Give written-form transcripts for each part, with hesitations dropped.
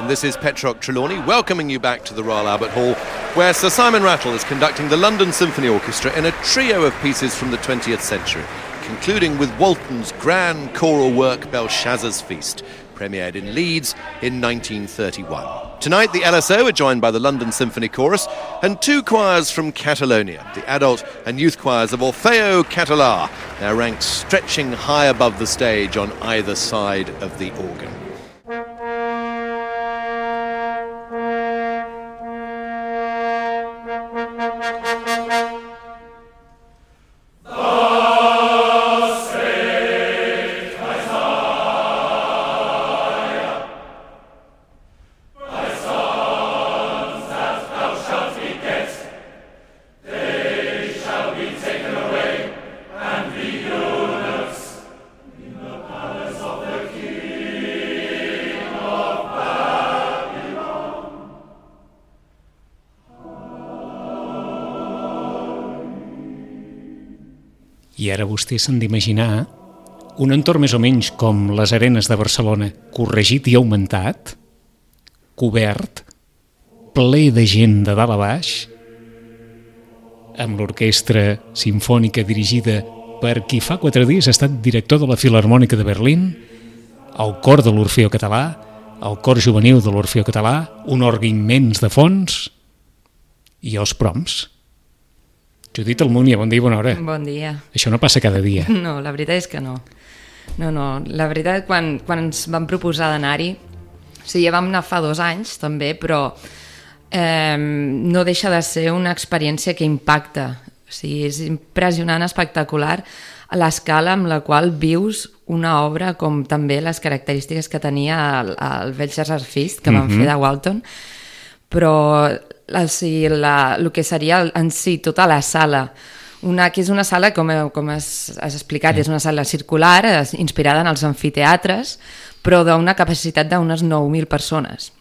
And this is Petrock Trelawney welcoming you back to the Royal Albert Hall, where Sir Simon Rattle is conducting the London Symphony Orchestra in a trio of pieces from the 20th century, concluding with Walton's grand choral work Belshazzar's Feast, premiered in Leeds in 1931. Tonight, the LSO are joined by the London Symphony Chorus and two choirs from Catalonia, the adult and youth choirs of Orfeo Català, their ranks stretching high above the stage on either side of the organ. I ara vostè s'han d'imaginar un entorn més o menys com les arenes de Barcelona, corregit i augmentat, cobert, ple de gent de dalt a baix, amb l'orquestra simfònica dirigida per qui fa 4 dies ha estat director de la Filharmònica de Berlín, el cor de l'Orfeo Català, el cor juvenil de l'Orfeo Català, un orgue immens de fons i els proms. Judit Almunia, bon dia i bona hora. Bon dia. Això no passa cada dia. No, la veritat és que no. No, la veritat, quan ens vam proposar d'anar-hi, o sigui, ja vam anar fa 2 anys, també, però no deixa de ser una experiència que impacta. O sigui, és impressionant, espectacular, a l'escala amb la qual vius una obra com també les característiques que tenia el Belshazzar's Feast, que vam fer de Walton, però el que seria en si tota la sala, que és una sala, com has explicat, és una sala circular, inspirada en els amfiteatres, però d'una capacitat d'unes 9.000 persones.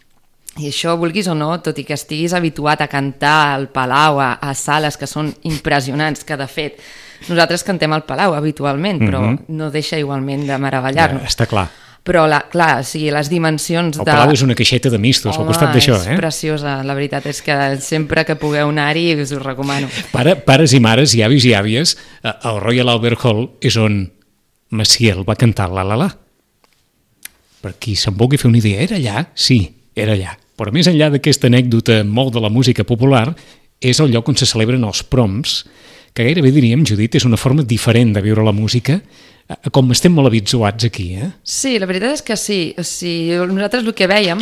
I això, vulguis o no, tot i que estiguis habituat a cantar al Palau, a sales que són impressionants, que de fet nosaltres cantem al Palau habitualment, però no deixa igualment de meravellar-nos. Està clar. Però, clar, o sigui, les dimensions El Palau és una caixeta de mistos al costat d'això, és preciosa, la veritat és que sempre que pugueu anar-hi us ho recomano. Pares i mares, i avis i àvies, al Royal Albert Hall és on Maciel va cantar La La La. Per qui se'n vulgui fer una idea, era allà? Sí, era allà. Però més enllà d'aquesta anècdota molt de la música popular, és el lloc on se celebren els proms, que gairebé diríem, Judit, és una forma diferent de viure la música, com estem molt habituats aquí, Sí, la veritat és que sí. O sigui, nosaltres el que vèiem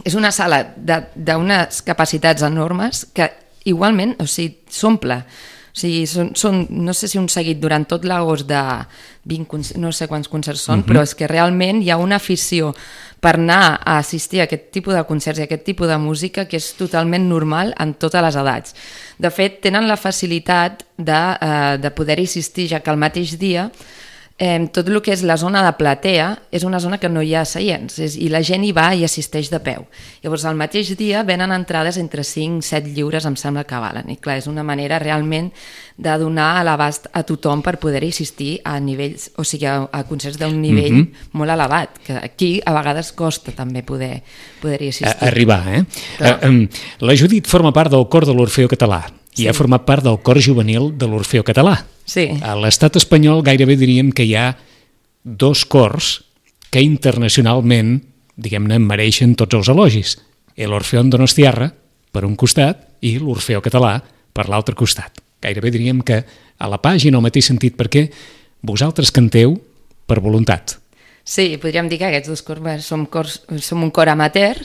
és una sala d'unes capacitats enormes que igualment, o sigui, s'omple. O sigui, són, no sé si un seguit durant tot l'agost de 20, no sé quants concerts són, però és que realment hi ha una afició per anar a assistir a aquest tipus de concerts i a aquest tipus de música que és totalment normal en totes les edats. De fet, tenen la facilitat de poder-hi assistir, ja que el mateix dia tot el que és la zona de platea és una zona que no hi ha seients i la gent hi va i assisteix de peu. Llavors, al mateix dia venen entrades entre 5 i 7 lliures, em sembla que valen. I clar, és una manera realment de donar a l'abast a tothom per poder-hi assistir a nivells, o sigui, a concerts d'un nivell molt elevat, que aquí a vegades costa també poder-hi assistir. Arribar, La Judit forma part del cor de l'Orfeo Català i ha format part del cor juvenil de l'Orfeo Català. Sí. A l'estat espanyol gairebé diríem que hi ha 2 cors que internacionalment, diguem-ne, mereixen tots els elogis. L'Orfeón Donostiarra, per un costat, i l'Orfeo Català per l'altre costat. Gairebé diríem que a la pàgina el mateix sentit, perquè vosaltres canteu per voluntat. Sí, podríem dir que aquests 2 cors som un cor amateur,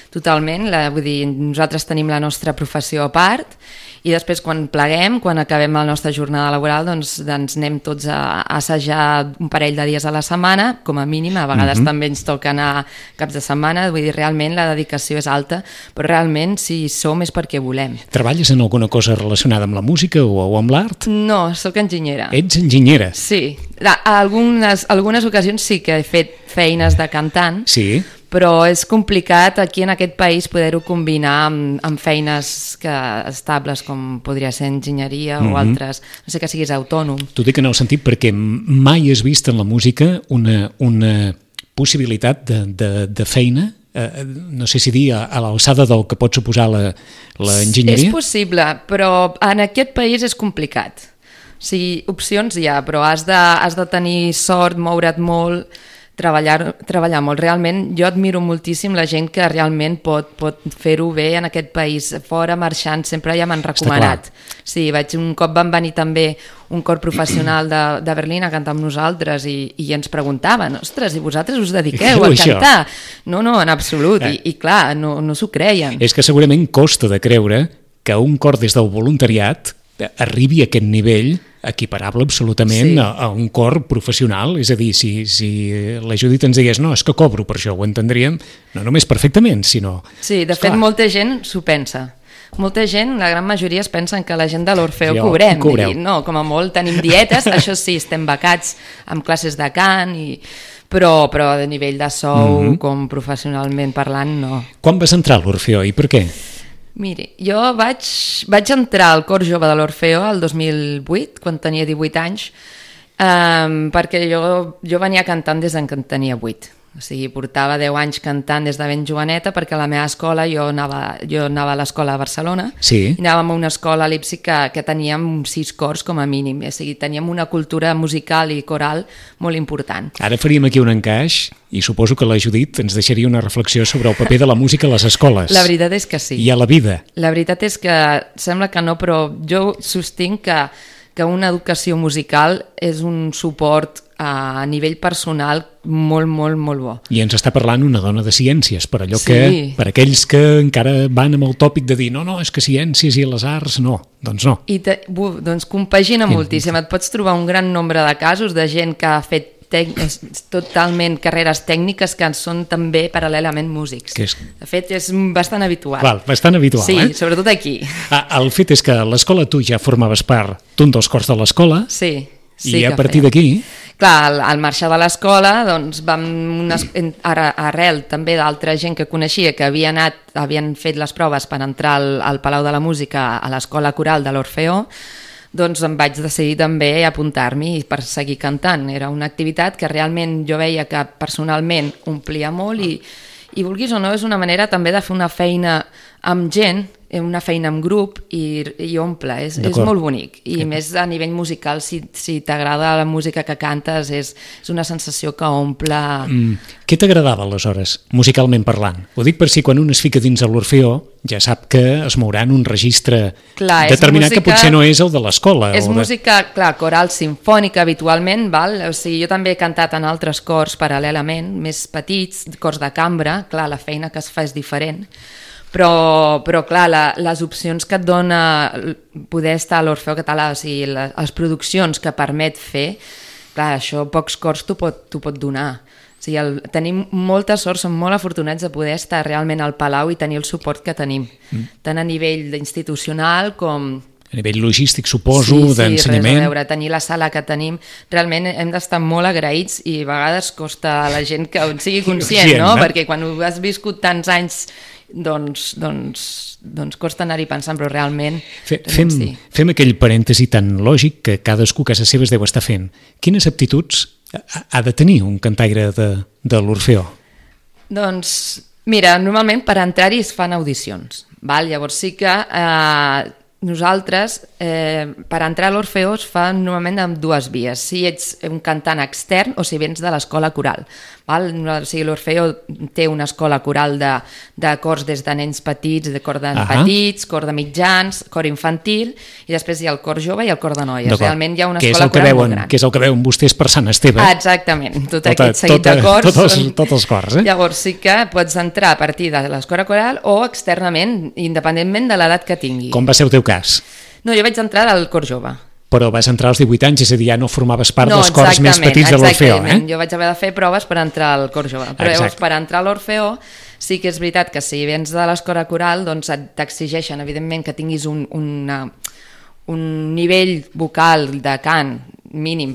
totalment, vull dir, nosaltres tenim la nostra professió a part, i després quan pleguem, quan acabem la nostra jornada laboral, doncs anem tots a assajar un parell de dies a la setmana, com a mínim, a vegades també ens toca anar caps de setmana, vull dir, realment la dedicació és alta, però realment si som és perquè volem. Treballes en alguna cosa relacionada amb la música o amb l'art? No, sóc enginyera. Ets enginyera? Sí, algunes ocasions sí que he fet feines de cantant, sí, però és complicat aquí en aquest país poder-ho combinar amb feines estables com podria ser enginyeria o altres, no sé, que siguis autònom. T'ho dic en el sentit perquè mai has vist en la música una possibilitat de feina no sé si dir, a l'alçada del que pot suposar l'enginyeria? És possible, però en aquest país és complicat. O sigui, opcions hi ha, però has de tenir sort, moure't molt, treballar molt. Realment, jo admiro moltíssim la gent que realment pot fer-ho bé en aquest país. Fora, marxant, sempre ja m'han recomanat. Sí, un cop van venir també un cor professional de Berlín a cantar amb nosaltres i ens preguntaven, ostres, i vosaltres us dediqueu a cantar? No, en absolut, i clar, no s'ho creien. És que segurament costa de creure que un cor des del voluntariat arribi a aquest nivell equiparable absolutament a un cor professional. És a dir, si la Judit ens digués no, és que cobro per això, ho entendríem no només perfectament, sinó... Sí, de fet, molta gent s'ho pensa. Molta gent, la gran majoria es pensen que la gent de l'Orfeó cobrem. I no, com a molt tenim dietes, això sí, estem becats amb classes de cant, però de nivell de sou, com professionalment parlant, no. Quan vas entrar a l'Orfeó i per què? Miri, jo vaig entrar al cor jove de l'Orfeó el 2008, quan tenia 18 anys, perquè jo venia cantant des que en tenia 8. O sigui, portava 10 anys cantant des de ben joveneta, perquè a la meva escola, jo anava a l'escola a Barcelona, i anàvem a una escola a Leipzig que teníem 6 cors com a mínim, o sigui, teníem una cultura musical i coral molt important. Ara faríem aquí un encaix i suposo que la Judit ens deixaria una reflexió sobre el paper de la música a les escoles. La veritat és que sí. I a la vida. La veritat és que sembla que no, però jo sostinc que una educació musical és un suport a nivell personal molt, molt, molt bo. I ens està parlant una dona de ciències, per allò que, per aquells que encara van amb el tòpic de dir no, és que ciències i les arts, no, doncs no. I doncs compagina moltíssim, et pots trobar un gran nombre de casos de gent que ha fet totalment carreres tècniques que són també paral·lelament músics. De fet, és bastant habitual. Bastant habitual, sí, sobretot aquí. El fet és que a l'escola tu ja formaves part d'un dels cors de l'escola. Sí. I a partir d'aquí... Clar, al marxar de l'escola, doncs arrel també d'altra gent que coneixia que havien fet les proves per entrar al Palau de la Música a l'escola coral de l'Orfeó, doncs em vaig decidir també apuntar-m'hi per seguir cantant. Era una activitat que realment jo veia que personalment omplia molt i vulguis o no, és una manera també de fer una feina amb gent, una feina amb grup i omple, és molt bonic. I més a nivell musical, si t'agrada la música que cantes, és una sensació que omple... Què t'agradava aleshores, musicalment parlant? Ho dic per si quan un es fica dins de l'Orfeó ja sap que es mourà en un registre determinat que potser no és el de l'escola. És música, clar, coral sinfònica habitualment, o sigui, jo també he cantat en altres cors paral·lelament, més petits, cors de cambra, clar, la feina que es fa és diferent, però clar, les opcions que et dona poder estar a l'Orfeó Català, o sigui, les produccions que permet fer, clar, això pocs cors t'ho pot donar. O sigui, tenim molta sort, som molt afortunats de poder estar realment al Palau i tenir el suport que tenim, tant a nivell institucional com... A nivell logístic, suposo, d'ensenyament. Sí, res a veure, tenir la sala que tenim, realment hem d'estar molt agraïts i a vegades costa a la gent que en sigui conscient, no? Perquè quan ho has viscut tants anys, doncs costa anar-hi pensant, però realment... Fem aquell parèntesi tan lògic que cadascú a casa seva es deu estar fent. Quines aptituds ha de tenir un cantaire de l'Orfeó? Doncs, mira, normalment per entrar-hi es fan audicions, llavors sí que... Nosaltres, per entrar a l'Orfeó es fa normalment amb dues vies, si ets un cantant extern o si vens de l'escola coral. O sigui, l'Orfeó té una escola coral de cors des de nens petits, de cor de petits, cor de mitjans, cor infantil, i després hi ha el cor jove i el cor de noies. Realment hi ha una escola coral molt gran. Que és el que veuen vostès per Sant Esteve. Exactament, tot aquest seguit de cors. Tots els cors, Llavors sí que pots entrar a partir de l'escola coral o externament, independentment de l'edat que tingui. Com va ser el teu cas? No, jo vaig entrar al cor jove. Però vas entrar als 18 anys, és a dir, ja no formaves part dels cors més petits de l'Orfeó. Jo vaig haver de fer proves per entrar al cor jove. Però llavors, per entrar a l'Orfeó, sí que és veritat que si vens de l'escola coral, doncs t'exigeixen, evidentment, que tinguis un nivell vocal de cant mínim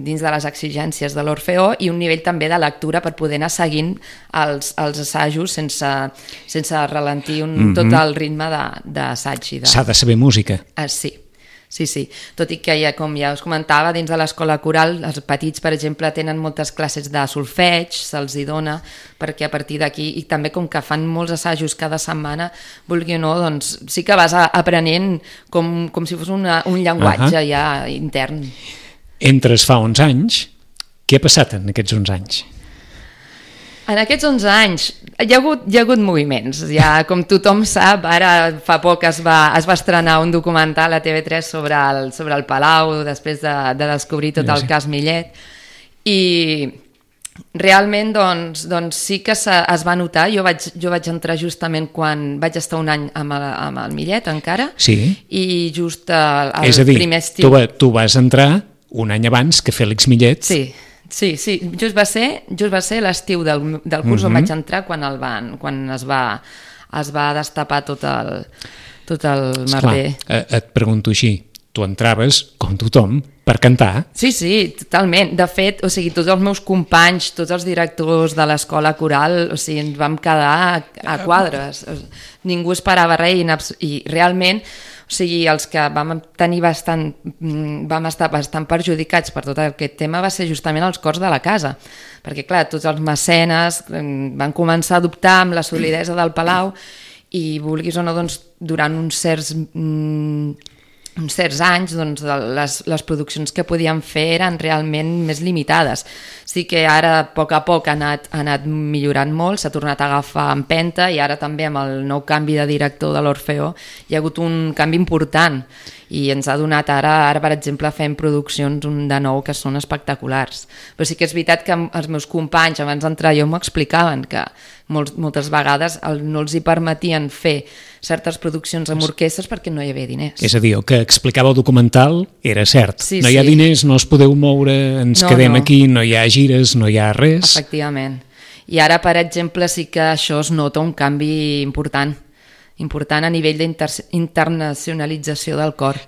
dins de les exigències de l'Orfeó i un nivell també de lectura per poder anar seguint els assajos sense ralentir tot el ritme d'assaig. S'ha de saber música. Sí. Sí, tot i que com ja us comentava, dins de l'escola coral, els petits, per exemple, tenen moltes classes de solfeig, se'ls hi dona, perquè a partir d'aquí, i també com que fan molts assajos cada setmana, vulgui o no, doncs sí que vas aprenent com si fos un llenguatge ja intern. Entres fa 11 anys, què ha passat en aquests 11 anys? En aquests 11 anys hi ha hagut moviments, ja com tothom sap, ara fa poc es va estrenar un documental a TV3 sobre el Palau, després de descobrir tot el cas Millet, i realment doncs sí que es va notar. Jo vaig entrar justament quan vaig estar un any amb el Millet encara, i just el primer estiu... És a dir, tu vas entrar un any abans que Fèlix Millet. Sí, just va ser l'estiu del curs on vaig entrar quan es va destapar tot el merder. Et pregunto així, tu entraves, com tothom, per cantar? Sí, totalment. De fet, tots els meus companys, tots els directors de l'escola coral, ens vam quedar a quadres. Ningú esperava res i realment... els que vam estar bastant perjudicats per tot aquest tema va ser justament els cors de la casa, perquè clar, tots els mecenes van començar a adoptar amb la solidesa del Palau i vulguis o no, doncs, durant uns certs anys les produccions que podíem fer eren realment més limitades. Sí que ara a poc ha anat millorant molt, s'ha tornat a agafar empenta i ara també amb el nou canvi de director de l'Orfeó hi ha hagut un canvi important i ens ha donat ara per exemple, fem produccions de nou que són espectaculars. Però sí que és veritat que els meus companys abans d'entrar jo m'ho explicaven, que moltes vegades no els hi permetien fer certes produccions amb orquestres perquè no hi havia diners. És a dir, el que explicava el documental era cert. No hi ha diners, no els podeu moure, ens quedem aquí, no hi ha gires, no hi ha res. Efectivament. I ara, per exemple, sí que això es nota un canvi important a nivell d'internacionalització del cor.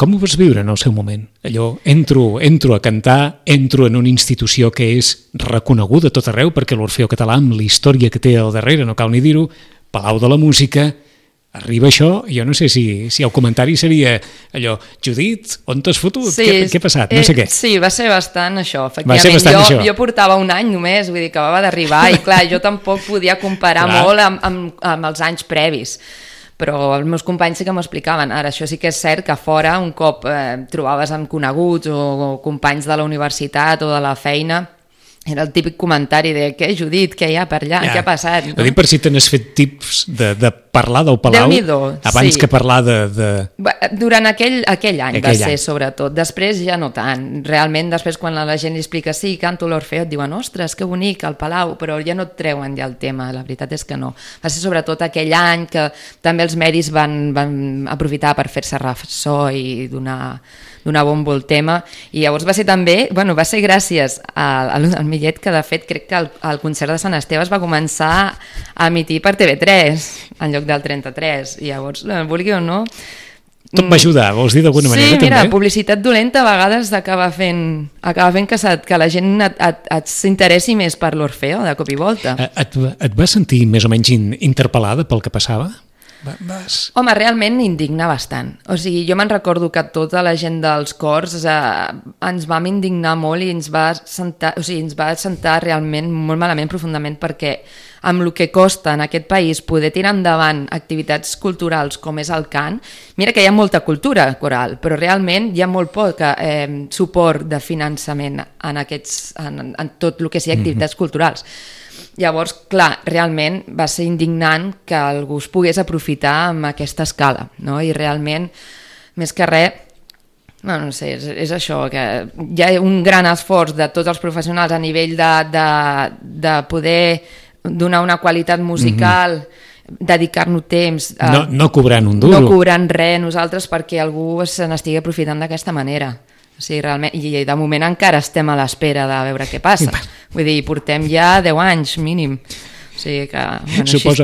Com ho vas viure en el seu moment? Allò, entro a cantar, entro en una institució que és reconeguda a tot arreu, perquè l'Orfeó Català, amb la història que té al darrere, no cal ni dir-ho, Palau de la Música, arriba això, jo no sé si el comentari seria allò, Judit, on t'has fotut? Què ha passat? No sé què. Sí, va ser bastant això, efectivament. Jo portava un any només, vull dir que acabava d'arribar i clar, jo tampoc podia comparar molt amb els anys previs, però els meus companys sí que m'ho explicaven. Ara, això sí que és cert que a fora un cop trobaves amb coneguts o companys de la universitat o de la feina, era el típic comentari de què, Judit, què hi ha per allà, què ha passat? No? Per si te n'has fet tips de parlar del Palau abans que parlar de... Durant aquell any va ser, sobretot. Després ja no tant. Realment, després quan la gent li explica sí, canto l'Orfeó, et diuen, ostres, que bonic, el Palau, però ja no et treuen ja el tema, la veritat és que no. Va ser sobretot aquell any que també els medis van aprofitar per fer-se ressò i donar bombo al tema, i llavors va ser també, va ser gràcies al Millet que de fet crec que el concert de Sant Esteve es va començar a emitir per TV3 en lloc del 33, i llavors, vulgui o no, tot va ajudar, vols dir d'alguna manera també? Sí, mira, publicitat dolenta a vegades acaba fent que la gent s'interessi més per l'Orfeó de cop i volta. Et vas sentir més o menys interpel·lada pel que passava? Home, realment indigna bastant. O sigui, jo me'n recordo que tota la gent dels cors ens vam indignar molt i ens va sentar realment molt malament, profundament, perquè amb el que costa en aquest país poder tirar endavant activitats culturals com és el cant, mira que hi ha molta cultura coral, però realment hi ha molt poc suport de finançament en tot el que sigui activitats culturals. Llavors, clar, realment va ser indignant que algú es pogués aprofitar amb aquesta escala, no? I realment, més que res, no sé, és això, que hi ha un gran esforç de tots els professionals a nivell de poder donar una qualitat musical, dedicar-nos temps... No cobrant un duro. No cobrant res nosaltres perquè algú se n'estigui aprofitant d'aquesta manera. O sigui, realment, i de moment encara estem a l'espera de veure què passa. Vull dir, portem ja 10 anys mínim. O sigui que, suposo,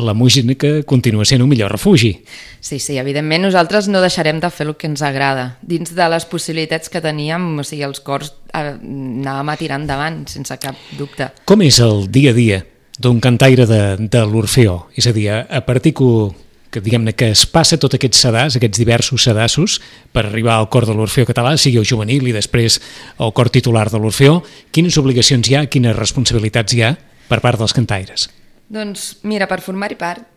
la música continua sent un millor refugi. Sí, evidentment nosaltres no deixarem de fer el que ens agrada. Dins de les possibilitats que teníem, o sigui, els cors anàvem a tirar endavant, sense cap dubte. Com és el dia a dia d'un cantaire de l'Orfeó? És a dir, a partir que que diguem-ne que es passa tot aquests sedars, aquests diversos sedassos, per arribar al cor de l'Orfeó Català, sigui el juvenil i després el cor titular de l'Orfeó. Quines obligacions hi ha, quines responsabilitats hi ha per part dels cantaires? Doncs mira, per formar-hi part,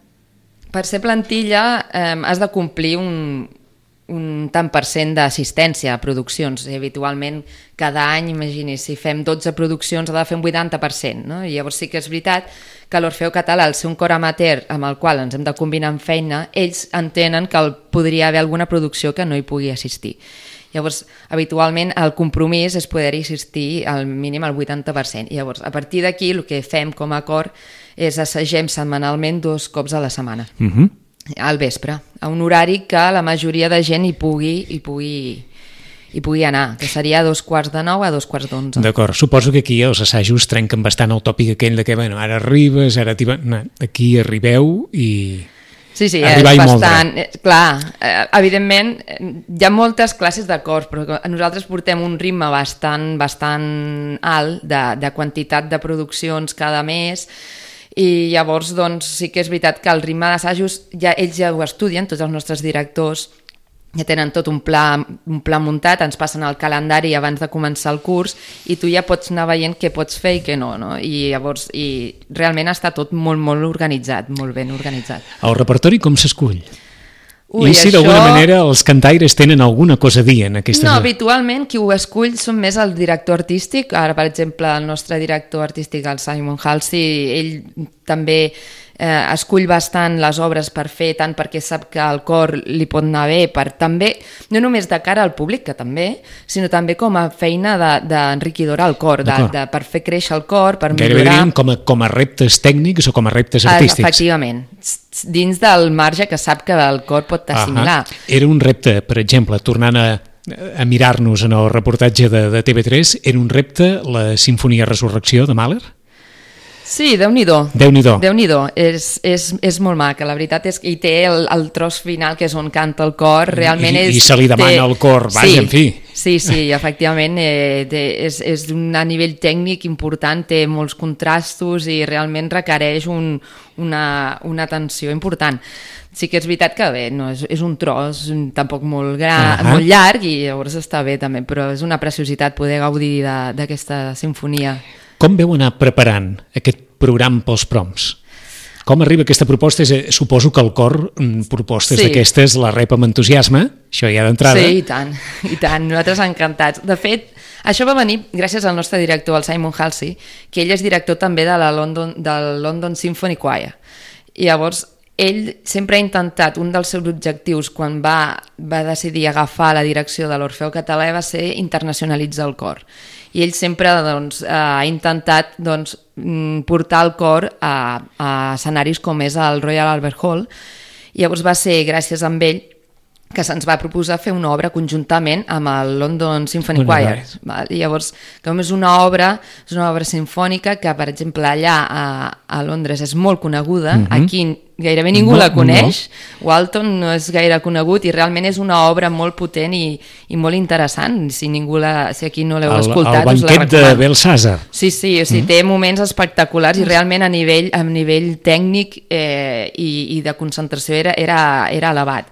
per ser plantilla has de complir un tant per cent d'assistència a produccions. I habitualment cada any, imagini, si fem 12 produccions ha de fer un 80%, no? I llavors sí que és veritat que l'Orfeó Català, al ser un cor amateur amb el qual ens hem de combinar amb feina, ells entenen que podria haver alguna producció que no hi pugui assistir. Llavors, habitualment el compromís és poder-hi assistir al mínim al 80%. I llavors, a partir d'aquí, el que fem com a cor és assagem setmanalment 2 cops a la setmana. Al vespre, a un horari que la majoria de gent hi pugui anar, que seria a 8:45 a 8:45. D'acord, suposo que aquí els assajos trenquen bastant el tòpic aquell de que, bueno, ara arribes, ara aquí arribeu i... Sí, és bastant... Clar, evidentment, hi ha moltes classes de cors, però nosaltres portem un ritme bastant alt de quantitat de produccions cada mes, i llavors doncs, sí que és veritat que el ritme d'assajos ells ja ho estudien, tots els nostres directors ja tenen tot un pla muntat, ens passen el calendari abans de començar el curs i tu ja pots anar veient què pots fer i què no? I llavors realment està tot molt organitzat, molt ben organitzat. El repertori com s'escull? I si d'alguna manera els cantaires tenen alguna cosa a dir en aquesta... No, habitualment qui ho escull són més el director artístic. Ara, per exemple, el nostre director artístic, el Simon Halsey, ell també escull bastant les obres per fer, tant perquè sap que el cor li pot anar bé, també, no només de cara al públic, que també, sinó també com a feina d'enriquidora al cor, per fer créixer el cor, per millorar... Gairebé diríem com a reptes tècnics o com a reptes artístics. Efectivament, dins del marge que sap que el cor pot assimilar. Era un repte, per exemple, tornant a mirar-nos en el reportatge de TV3, era un repte la Sinfonia Resurrecció de Mahler? Sí, Déu-n'hi-do. Déu-n'hi-do. És molt maca, la veritat és que hi té el tros final, que és on canta el cor, realment és... I se li demana al cor, vaja, en fi. Sí, efectivament, és a nivell tècnic important, té molts contrastos i realment requereix una atenció important. Sí que és veritat que bé, no, és un tros tampoc molt molt llarg i llavors està bé també, però és una preciositat poder gaudir d'aquesta sinfonia. Com veu anar preparant aquest programa pels proms? Com arriba aquesta proposta? Suposo que el cor propostes d'aquestes la rep amb entusiasme, això ja d'entrada. Sí, i tant, nosaltres encantats. De fet, això va venir gràcies al nostre director, el Simon Halsey, que ell és director també del London Symphony Choir. I llavors, ell sempre ha intentat, un dels seus objectius quan va decidir agafar la direcció de l'Orfeó Català va ser internacionalitzar el cor. I ell sempre ha intentat portar el cor a escenaris com és el Royal Albert Hall. I llavors va ser gràcies a ell que se'ns va proposar fer una obra conjuntament amb el London Symphony Choir. I llavors, com és una obra sinfònica que, per exemple, allà a Londres és molt coneguda, aquí gairebé ningú la coneix, Walton no és gaire conegut i realment és una obra molt potent i molt interessant. Si aquí no l'heu escoltat, us la recomano. El banquet de Belsàsar. Sí, té moments espectaculars i realment a nivell tècnic i de concentració era elevat.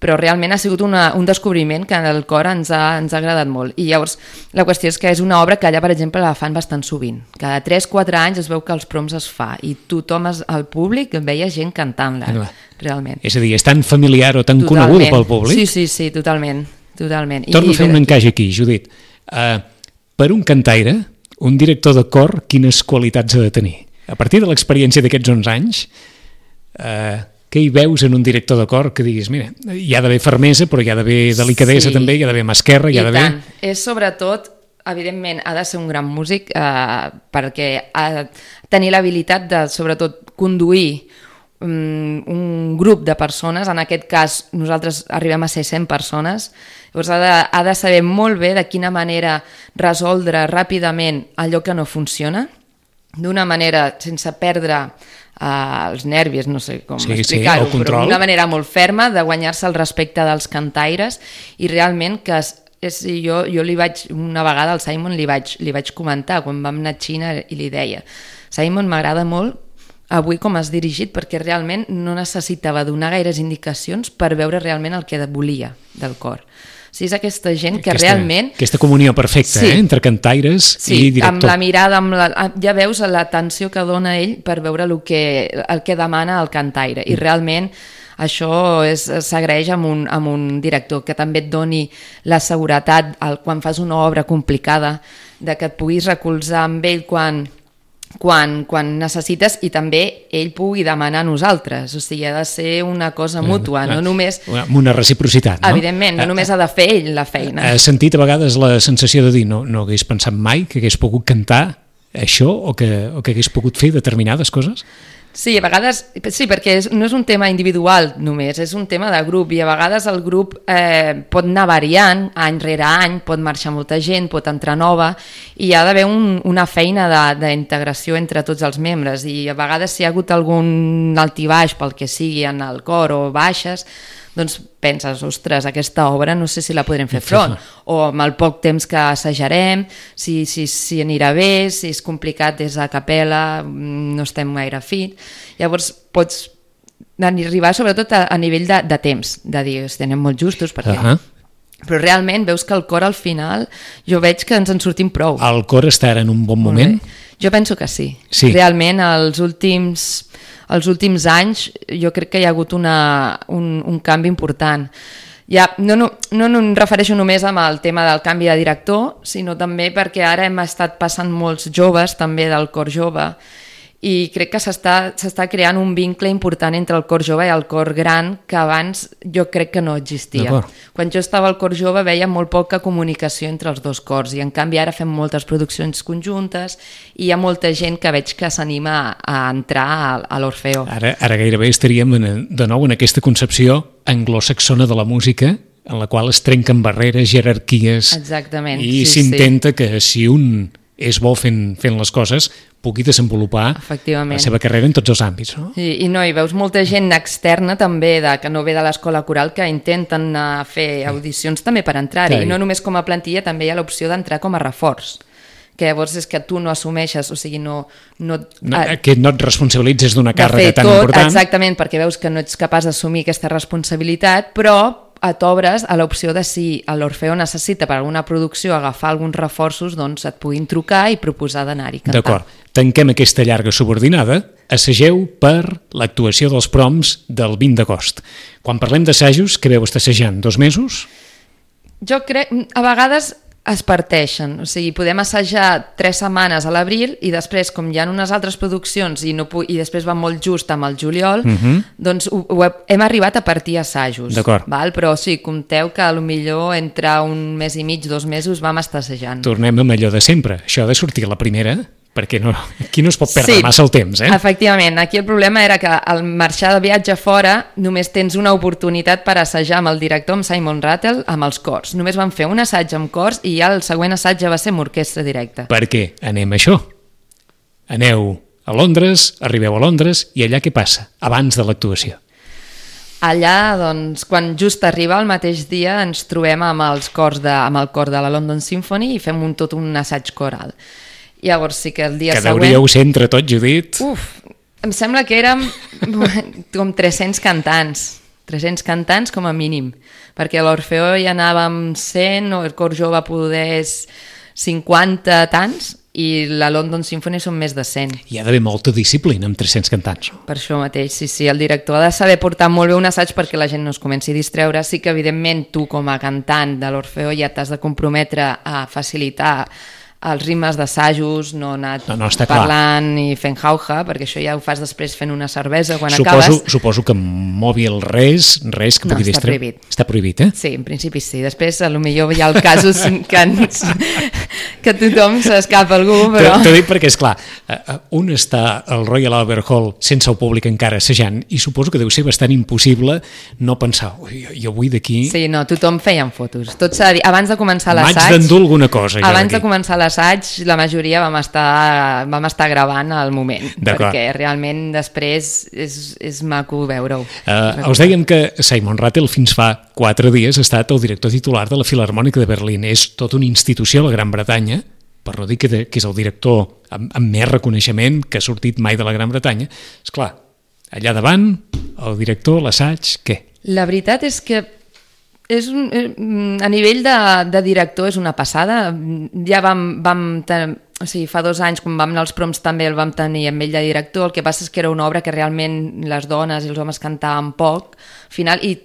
Però realment ha sigut un descobriment que el cor ens ha agradat molt. I llavors la qüestió és que és una obra que allà, per exemple, la fan bastant sovint. Cada 3-4 anys es veu que els proms es fa i tothom, al públic, veia gent cantant-la, realment. És a dir, és tan familiar o tan coneguda pel públic? Sí, totalment. Torno a fer un encaix aquí, Judit. Per un cantaire, un director de cor, quines qualitats ha de tenir? A partir de l'experiència d'aquests 11 anys, què hi veus en un director de cor que diguis, mira, hi ha d'haver fermesa, però hi ha d'haver delicadesa també, hi ha d'haver mà esquerra, hi ha d'haver... I tant, és sobretot, evidentment, ha de ser un gran músic perquè ha de tenir l'habilitat de, sobretot, conduir un grup de persones, en aquest cas nosaltres arribem a ser 100 persones, llavors ha de saber molt bé de quina manera resoldre ràpidament allò que no funciona, d'una manera sense perdre els nervis, no sé com explicar-ho, però d'una manera molt ferma, de guanyar-se el respecte dels cantaires i realment que jo li vaig, una vegada al Simon li vaig comentar quan vam anar a Xina i li deia, Simon, m'agrada molt avui com has dirigit, perquè realment no necessitava donar gaires indicacions per veure realment el que volia del cor. O sigui, és aquesta gent que realment... Aquesta comunió perfecta, sí, entre cantaires i director. Amb la mirada, ja veus l'atenció que dona ell per veure el que demana el cantaire. I realment això s'agraeix amb un director que també et doni la seguretat quan fas una obra complicada, de que et puguis recolzar amb ell quan necessites i també ell pugui demanar a nosaltres. O sigui, ha de ser una cosa mútua, no només... Amb una reciprocitat, no? Evidentment, no només ha de fer ell la feina. Has sentit a vegades la sensació de dir no hagués pensat mai que hagués pogut cantar això o que hagués pogut fer determinades coses? Sí, a vegades, sí, perquè no és un tema individual només, és un tema de grup i a vegades el grup pot anar variant any rere any, pot marxar molta gent, pot entrar nova i hi ha d'haver una feina d'integració entre tots els membres i a vegades si hi ha hagut algun altibaix pel que sigui en el cor o baixes, doncs penses, ostres, aquesta obra no sé si la podrem fer front, o amb el poc temps que assajarem, si anirà bé, si és complicat des de capella, no estem gaire fit. Llavors pots arribar sobretot a nivell de temps, de dir, anem molt justos, perquè... Però realment veus que el cor al final, jo veig que ens en sortim prou. El cor està ara en un bon moment? Jo penso que sí. Realment, els últims anys jo crec que hi ha hagut un canvi important. Ja, no em refereixo només amb el tema del canvi de director, sinó també perquè ara hem estat passant molts joves també del cor jove i crec que s'està creant un vincle important entre el cor jove i el cor gran que abans jo crec que no existia. Quan jo estava al cor jove veia molt poca comunicació entre els dos cors i en canvi ara fem moltes produccions conjuntes i hi ha molta gent que veig que s'anima a entrar a l'Orfeó. Ara gairebé estaríem de nou en aquesta concepció anglosaxona de la música en la qual es trenquen barreres, jerarquies. Exactament. I s'intenta que si un és bo fent les coses pugui desenvolupar la seva carrera en tots els àmbits. No? I veus molta gent externa també, que no ve de l'escola coral, que intenten fer audicions també per entrar-hi. I no només com a plantilla, també hi ha l'opció d'entrar com a reforç. Que llavors és que tu no assumeixes, o sigui, que no et responsabilitzes d'una càrrega tan important. Exactament, perquè veus que no ets capaç d'assumir aquesta responsabilitat, però t'obres a l'opció de si l'Orfeó necessita per alguna producció agafar alguns reforços, doncs et puguin trucar i proposar d'anar-hi a cantar. D'acord, tanquem aquesta llarga subordinada, assageu per l'actuació dels proms del 20 d'agost. Quan parlem d'assajos, què veu estar assajant? 2 mesos? Jo crec, a vegades es parteixen, o sigui, podem assajar 3 setmanes a l'abril i després, com hi ha unes altres produccions i després va molt just amb el juliol, doncs hem arribat a partir assajos. Però sí, compteu que potser entre un mes i mig, 2 mesos vam estar assajant. Tornem amb allò de sempre, això ha de sortir a la primera, perquè aquí no es pot perdre massa el temps. Efectivament, aquí el problema era que al marxar de viatge fora només tens una oportunitat per assajar amb el director, amb Simon Rattle, amb els cors. Només vam fer un assaig amb cors i ja el següent assaig ja va ser amb orquestra directa. Per què? Anem a això. Aneu a Londres, arribeu a Londres i allà què passa abans de l'actuació? Allà, doncs, quan just arriba el mateix dia ens trobem amb el cor de la London Symphony i fem tot un assaig coral. Llavors sí que el dia següent... Que deuríeu ser entre tots, Judit. Em sembla que érem com 300 cantants com a mínim, perquè a l'Orfeó hi anàvem 100, o el cor jove poder 50 tants, i la London Symphony són més de 100. Hi ha d'haver molta disciplina amb 300 cantants. Per això mateix, sí, el director ha de saber portar molt bé un assaig perquè la gent no es comenci a distreure. Sí que evidentment tu com a cantant de l'Orfeó ja t'has de comprometre a facilitar els ritmes d'assajos, no anar parlant i fent jauja, perquè això ja ho fas després fent una cervesa quan acabes. Suposo que mòbil res que pugui distreure. Prohibit. Està prohibit, Sí, en principi sí. Després potser hi ha el casos que tothom s'escapa algú, però... T'ho dic perquè, esclar, un està al Royal Albert Hall sense el públic encara assajant i suposo que deu ser bastant impossible no pensar, jo vull d'aquí... Sí, no, tothom feien fotos. Tot s'ha de dir, abans de començar l'assaig... M'haig d'endur alguna cosa. Abans de començar l'assaig, la majoria vam estar gravant al moment, perquè realment després és maco veure-ho. Us dèiem que Simon Rattle fins fa 4 dies ha estat el director titular de la Filharmònica de Berlín. És tota una institució a la Gran Bretanya per no dir que és el director amb més reconeixement que ha sortit mai de la Gran Bretanya. Esclar, allà davant, el director, l'assaig, què? La veritat és que a nivell de director és una passada. Ja o sigui, fa 2 anys, quan vam anar als proms, també el vam tenir amb ell de director. El que passa és que era una obra que realment les dones i els homes cantaven poc al final, i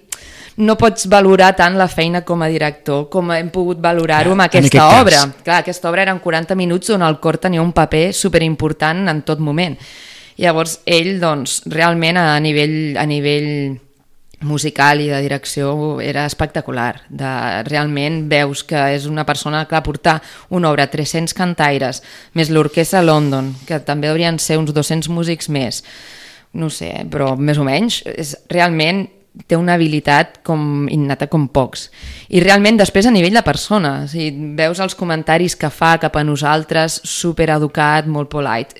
no pots valorar tant la feina com a director com hem pogut valorar-ho amb aquesta obra. Clar, aquesta obra eren 40 minuts on el cor tenia un paper superimportant en tot moment. Llavors ell, doncs, realment a nivell musical i de direcció era espectacular. Realment veus que és una persona que va portar una obra, 300 cantaires, més l'Orquestra London, que també haurien ser uns 200 músics més, no sé, però més o menys, realment té una habilitat com innata com pocs. I realment després a nivell de persona, o sigui, veus els comentaris que fa cap a nosaltres, supereducat, molt polite.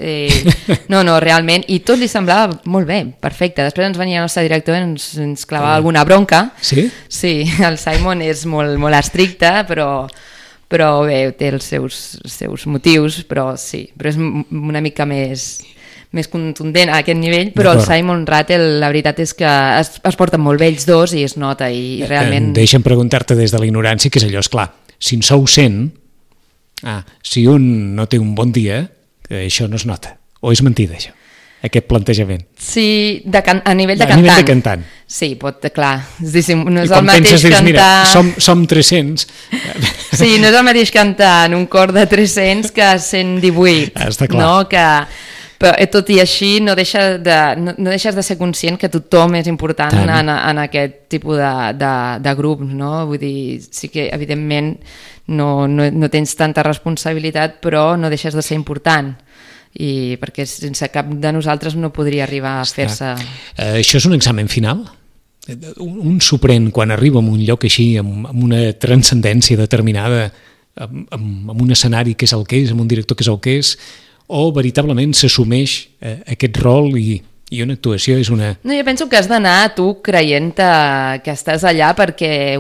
No, realment, i tot li semblava molt bé, perfecte. Després ens venia el nostre director i ens clavava alguna bronca. Sí? Sí, el Simon és molt, molt estricte, però bé, té els seus motius, però sí, però és una mica més contundent a aquest nivell, però el Simon Rattle la veritat és que es porten molt bé ells dos i es nota i realment... Deixa'm preguntar-te des de la ignorància, que és allò, esclar, si en sou 100, si un no té un bon dia, això no es nota, o és mentida això, aquest plantejament? Sí, a nivell de cantant. A nivell de cantant. Sí, clar, no és el mateix penses, cantar... Mira, som 300... Sí, no és el mateix cantar en un cor de 300 que 118. Està clar. No, però tot i així no deixes de ser conscient que tothom és important en aquest tipus de grup, no? Vull dir, sí que evidentment no tens tanta responsabilitat, però no deixes de ser important, i perquè sense cap de nosaltres no podria arribar a fer-se... Això és un examen final? Un sorprèn quan arriba a un lloc així, amb una transcendència determinada, amb un escenari que és el que és, amb un director que és el que és, o veritablement s'assumeix aquest rol i una actuació és una... No, jo penso que has d'anar tu creient que estàs allà perquè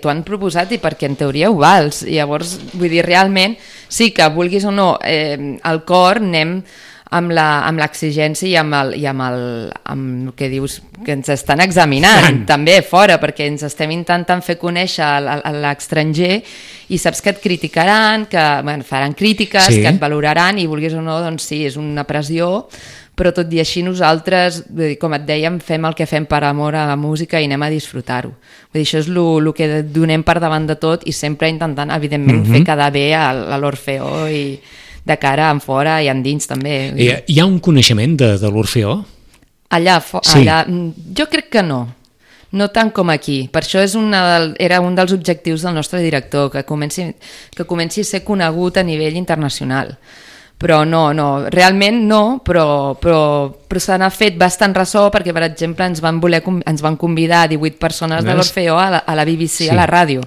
t'ho han proposat i perquè en teoria ho vals. I llavors, vull dir, realment, sí que vulguis o no, al cor anem amb l'exigència i amb el que dius, que ens estan examinant també fora, perquè ens estem intentant fer conèixer a l'estranger i saps que et criticaran, que faran crítiques, que et valoraran i vulguis o no, doncs sí, és una pressió, però tot i així nosaltres, com et dèiem, fem el que fem per amor a la música i anem a disfrutar-ho. Vull dir, això és el que donem per davant de tot i sempre intentant, evidentment, fer quedar bé a l'Orfeó i de cara en fora i endins també. Hi ha un coneixement de l'Orfeó? Allà, jo crec que no tant com aquí. Per això era un dels objectius del nostre director, que comenci a ser conegut a nivell internacional. Però no, realment no, però se n'ha fet bastant ressò perquè, per exemple, ens van convidar 18 persones de l'Orfeó a la BBC, a la ràdio,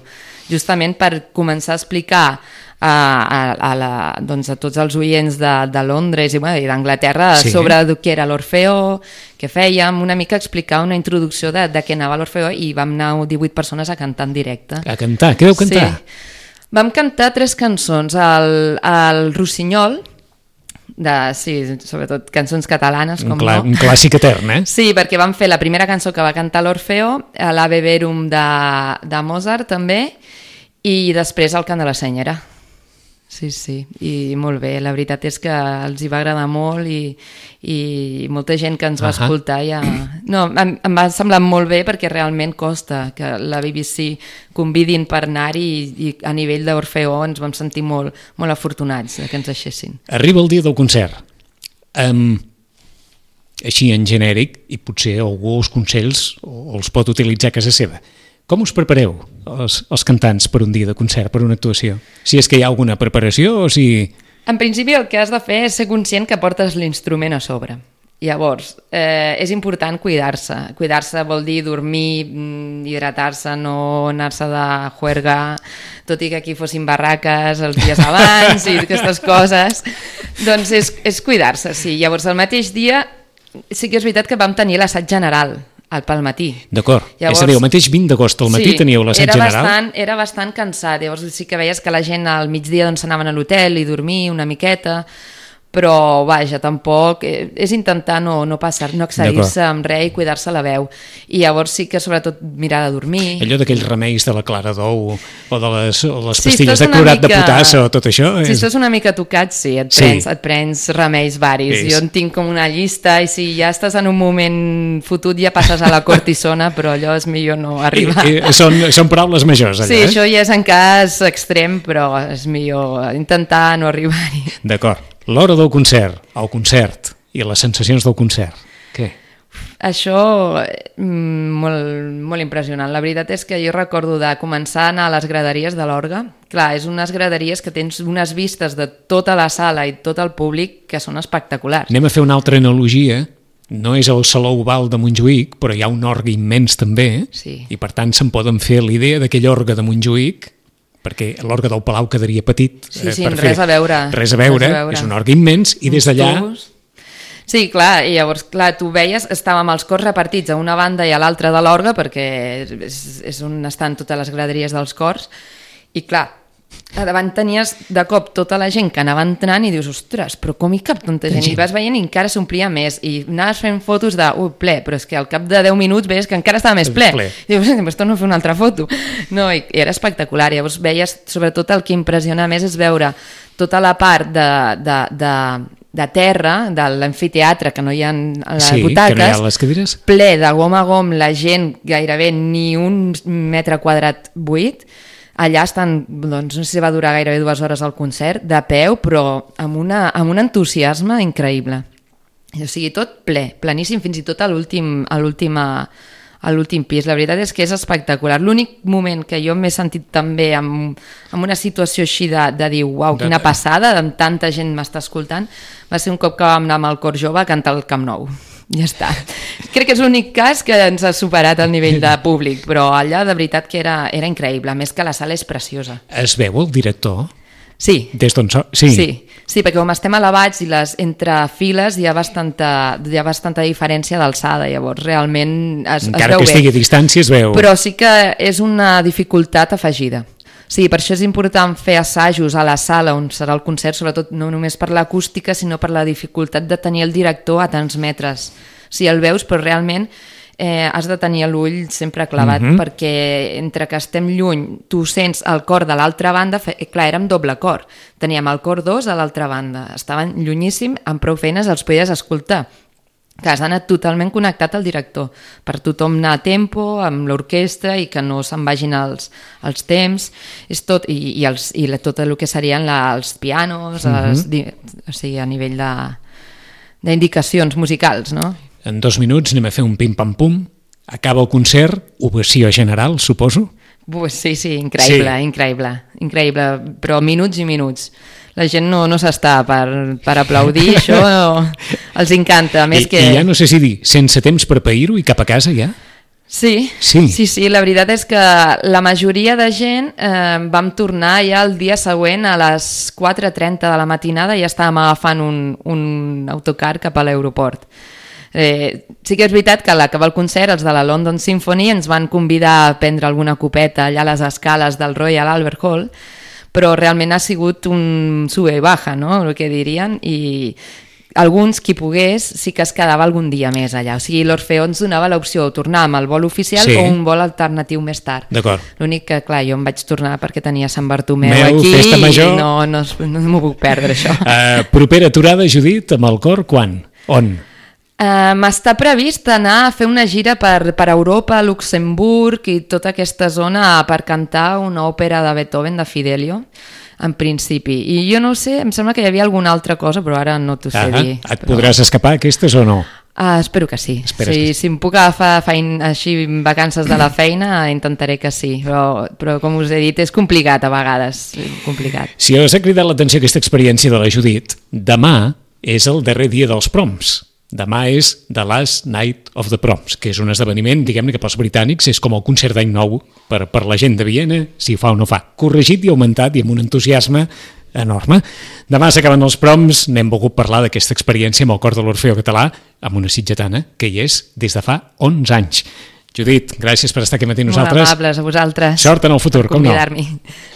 justament per començar a explicar a tots els oients de Londres i d'Anglaterra sobre què era l'Orfeó, què fèiem, una mica explicar una introducció de què anava l'Orfeó, i vam anar 18 persones a cantar en directe. A cantar? Què vau cantar? Sí. Vam cantar 3 cançons, el Rossinyol, sobretot cançons catalanes, com no. Un clàssic etern, Sí, perquè vam fer la primera cançó que va cantar l'Orfeó, l'Ave Verum de Mozart també, i després el Cant de la Senyera. Sí, i molt bé, la veritat és que els hi va agradar molt i molta gent que ens va escoltar em va semblar molt bé, perquè realment costa que la BBC convidin per anar-hi i a nivell d'Orfeó ens vam sentir molt, molt afortunats que ens deixessin. Arriba el dia del concert, així en genèric, i potser algú els consells els pot utilitzar a casa seva. Com us prepareu, els cantants, per un dia de concert, per una actuació? Si és que hi ha alguna preparació o si... En principi el que has de fer és ser conscient que portes l'instrument a sobre. Llavors, és important cuidar-se. Cuidar-se vol dir dormir, hidratar-se, no anar-se de juerga, tot i que aquí fossin barraques els dies abans i aquestes coses. Doncs és cuidar-se, sí. Llavors, el mateix dia sí que és veritat que vam tenir l'assaig general pel matí. D'acord. Llavors, és a dir, el mateix 20 d'agost al matí teníeu l'assaig general? Era bastant cansat. Llavors sí que veies que la gent al migdia doncs, anaven a l'hotel i dormir una miqueta, però vaja, tampoc és intentar no excedir-se amb res i cuidar-se la veu, i llavors sí que sobretot mirar de dormir. Allò d'aquells remeis de la clara d'ou o de les pastilles de clorat de potassa o tot això si estàs una mica tocat, sí, et prens remeis varis. Jo en tinc com una llista, i si ja estàs en un moment fotut ja passes a la cortisona, però allò és millor no arribar. Són paraules majors allà. Sí, això ja és en cas extrem, però és millor intentar no arribar-hi. D'acord. L'hora del concert, el concert i les sensacions del concert, què? Això, molt impressionant. La veritat és que jo recordo de començar a anar a les graderies de l'Orga. Clar, és unes graderies que tens unes vistes de tota la sala i tot el públic que són espectaculars. Anem a fer una altra analogia. No és el Saló Oval de Montjuïc, però hi ha un orgue immens també, i per tant se'n poden fer l'idea d'aquell orgue de Montjuïc, perquè l'orgue del Palau quedaria petit. Res a veure. Res a veure, és un orgue immens, i des d'allà... Sí, clar, i llavors, clar, tu veies, estàvem els cors repartits a una banda i a l'altra de l'orgue, perquè és on estan totes les graderies dels cors, i clar, a davant tenies de cop tota la gent que anava entrant i dius, ostres, però com hi cap tanta gent? I vas veient i encara s'omplia més, i anaves fent fotos de, ple, però és que al cap de 10 minuts veies que encara estava més ple. I dius, pues torno a fer una altra foto. No, i era espectacular. Llavors veies, sobretot el que impressiona més és veure tota la part de terra, de l'amfiteatre, que no hi ha les butaques, que no hi ha les cadires, ple de gom a gom, la gent gairebé ni un metre quadrat buit. Allà estan, doncs no sé si va durar gairebé 2 hores el concert, de peu, però amb un entusiasme increïble. O sigui, tot ple, pleníssim, fins i tot a l'últim pis. La veritat és que és espectacular. L'únic moment que jo m'he sentit també amb una situació així de dir, uau, quina passada, amb tanta gent m'està escoltant, va ser un cop que vam anar amb el cor jove a cantar al Camp Nou. Ja està. Crec que és l'únic cas que ens ha superat el nivell de públic, però allà de veritat que era increïble, a més que la sala és preciosa. Es veu el director? Sí. Des d'on sí. Sí, perquè com estem elevats i entre files hi ha bastanta diferència d'alçada, llavors realment es veu bé. Encara que estigui a distància es veu. Però sí que és una dificultat afegida. Sí, per això és important fer assajos a la sala on serà el concert, sobretot no només per l'acústica, sinó per la dificultat de tenir el director a tants metres. Si el veus, però realment has de tenir l'ull sempre clavat, perquè entre que estem lluny, tu sents el cor de l'altra banda, clar, érem doble cor, teníem el cor 2 a l'altra banda, estaven llunyíssim, amb prou feines els podies escoltar, que has anat totalment connectat al director, per tothom anar a tempo, amb l'orquestra, i que no se'n vagin els temps, és tot, i tot el que serien els pianos, o sigui, a nivell d'indicacions musicals, no? En 2 minuts anem a fer un pim-pam-pum, acaba el concert, ovació general, suposo? Sí, increïble, però minuts i minuts. La gent no s'està per aplaudir, això els encanta. A més que... I ja no sé si dir, sense temps per pair-ho i cap a casa ja? Sí, la veritat és que la majoria de gent vam tornar ja el dia següent a les 4:30 de la matinada i ja estàvem agafant un autocar cap a l'aeroport. Sí que és veritat que a l'acabar el concert els de la London Symphony ens van convidar a prendre alguna copeta allà a les escales del Royal Albert Hall, però realment ha sigut un sube y baja, no?, el que dirien, i alguns, qui pogués, sí que es quedava algun dia més allà. O sigui, l'Orfeó ens donava l'opció de tornar amb el vol oficial o un vol alternatiu més tard. D'acord. L'únic que, clar, jo em vaig tornar perquè tenia Sant Bartomeu aquí i no m'ho puc perdre, això. Propera aturada, Judit, amb el cor, quan? On? M'està previst anar a fer una gira per Europa, Luxemburg i tota aquesta zona per cantar una òpera de Beethoven, de Fidelio, en principi. I jo no sé, em sembla que hi havia alguna altra cosa, però ara no t'ho sé dir. Et podràs escapar aquestes o no? Espero que sí. Si em puc agafar així vacances de la feina, intentaré que sí. Però com us he dit, és complicat a vegades. Complicat. Si us ha cridat l'atenció aquesta experiència de la Judit, demà és el darrer dia dels proms. Demà és The Last Night of the Proms, que és un esdeveniment, diguem-ne, que pels britànics és com el concert d'any nou per la gent de Viena, si fa o no fa. Corregit i augmentat i amb un entusiasme enorme. Demà s'acaben els proms, n'hem volgut parlar d'aquesta experiència amb el cor de l'Orfeó Català, amb una sitgetana que hi és des de fa 11 anys. Judit, gràcies per estar aquí matí amb nosaltres. Molt amables a vosaltres. Sort en el futur, com no. Per convidar-m'hi.